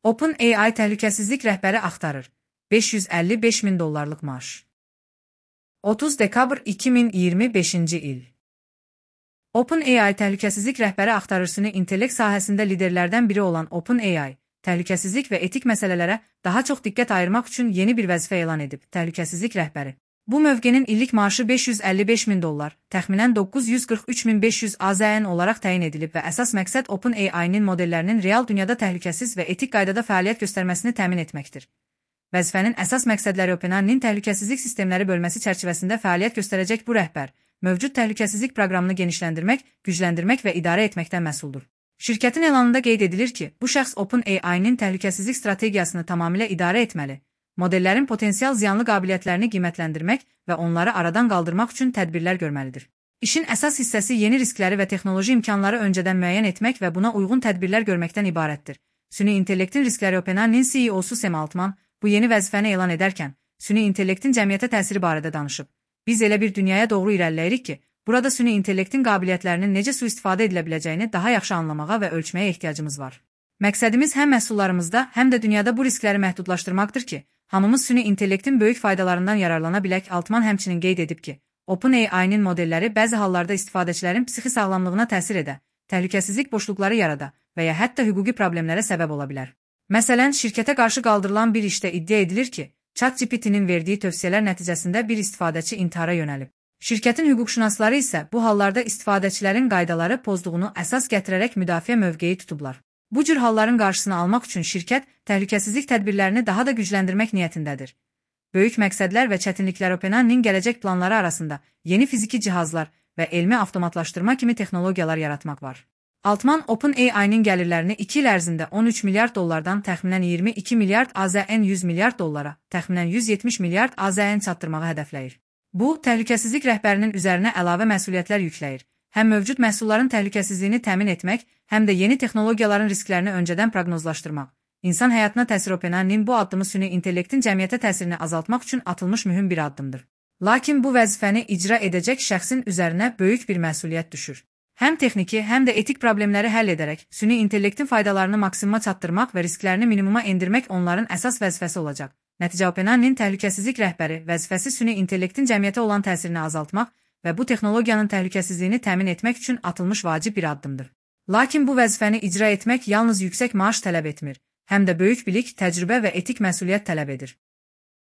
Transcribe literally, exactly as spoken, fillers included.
OpenAI təhlükəsizlik rəhbəri axtarır. beş yüz əlli beş min dollarlıq maaş. otuz dekabr iki min iyirmi beşinci il. OpenAI təhlükəsizlik rəhbəri axtarır. Süni intellekt sahəsində liderlərdən biri olan OpenAI, təhlükəsizlik və etik məsələlərə daha çox diqqət ayırmaq üçün yeni bir vəzifə elan edib. Təhlükəsizlik rəhbəri. Bu mövqenin illik maaşı beş yüz əlli beş min dollar, təxminən doqquz yüz qırx üç min beş yüz AZN olaraq təyin edilib və əsas məqsəd OpenAI-nin modellərinin real dünyada təhlükəsiz və etik qaydada fəaliyyət göstərməsini təmin etməkdir. Vəzifənin əsas məqsədləri OpenAI-nin təhlükəsizlik sistemləri bölməsi çərçivəsində fəaliyyət göstərəcək bu rəhbər, mövcud təhlükəsizlik proqramını genişləndirmək, gücləndirmək və idarə etməkdən məsuldur. Şirkətin elanında qeyd edilir ki, bu şəxs OpenAI-nin təhlükəsizlik strategiyasını tamamilə idarə etməli, modellərin potensial ziyanlı qabiliyyətlərini qiymətləndirmək və onları aradan qaldırmaq üçün tədbirlər görməlidir. İşin əsas hissəsi yeni riskləri və texnoloji imkanları öncədən müəyyən etmək və buna uyğun tədbirlər görməkdən ibarətdir. Süni intellektin riskləri OpenAI-nin C E O-su Sam Altman bu yeni vəzifəni elan edərkən, süni intellektin cəmiyyətə təsiri barədə danışıb. Biz elə bir dünyaya doğru irəliləyirik ki, burada süni intellektin qabiliyyətlərinin necə sui-istifadə edilə biləcəyini daha yaxşı anlamağa və ölçməyə ehtiyacımız var. Məqsədimiz həm məhsullarımızda, həm də dünyada bu riskləri məhdudlaşdırmaqdır ki, hamımız süni intellektin böyük faydalarından yararlana bilək. Altman həmçinin qeyd edib ki, OpenAI-nin modelləri bəzi hallarda istifadəçilərin psixi sağlamlığına təsir edə, təhlükəsizlik boşluqları yarada və ya hətta hüquqi problemlərə səbəb ola bilər. Məsələn, şirkətə qarşı qaldırılan bir işdə iddia edilir ki, ChatGPT-nin verdiyi tövsiyələr nəticəsində bir istifadəçi intihara yönəlib. Şirkətin hüquqşünasları isə bu hallarda istifadəçilərin qaydaları pozduğunu əsas gətirərək müdafiə mövqeyi tutublar. Bu cür halların qarşısını almaq üçün şirkət təhlükəsizlik tədbirlərini daha da gücləndirmək niyyətindədir. Böyük məqsədlər və çətinliklər OpenAI-nin gələcək planları arasında yeni fiziki cihazlar və elmi avtomatlaşdırma kimi texnologiyalar yaratmaq var. Altman OpenAI-nin gəlirlərini iki il ərzində on üç milyard dollardan təxminən iyirmi iki milyard AZN yüz milyard dollara, təxminən yüz yetmiş milyard AZN çatdırmağı hədəfləyir. Bu, təhlükəsizlik rəhbərinin üzərinə əlavə məsuliyyətlər yükləyir. Həm mövcud məhsulların təhlükəsizliyini təmin etmək, həm də yeni texnologiyaların risklərini öncədən proqnozlaşdırmaq. İnsan həyatına təsir OpenAI-nin bu addımı süni intellektin cəmiyyətə təsirini azaltmaq üçün atılmış mühüm bir addımdır. Lakin bu vəzifəni icra edəcək şəxsin üzərinə böyük bir məsuliyyət düşür. Həm texniki, həm də etik problemləri həll edərək, süni intellektin faydalarını maksimuma çatdırmaq və risklərini minimuma endirmək onların əsas vəzifəsi olacaq. Nəticə OpenAI-nin təhlükəsizlik rəhbəri vəzifəsi süni intellektin cəmiyyətə olan təsirini azaltmaq və bu texnologiyanın təhlükəsizliyini təmin etmək üçün atılmış vacib bir addımdır. Lakin bu vəzifəni icra etmək yalnız yüksək maaş tələb etmir, həm də böyük bilik, təcrübə və etik məsuliyyət tələb edir.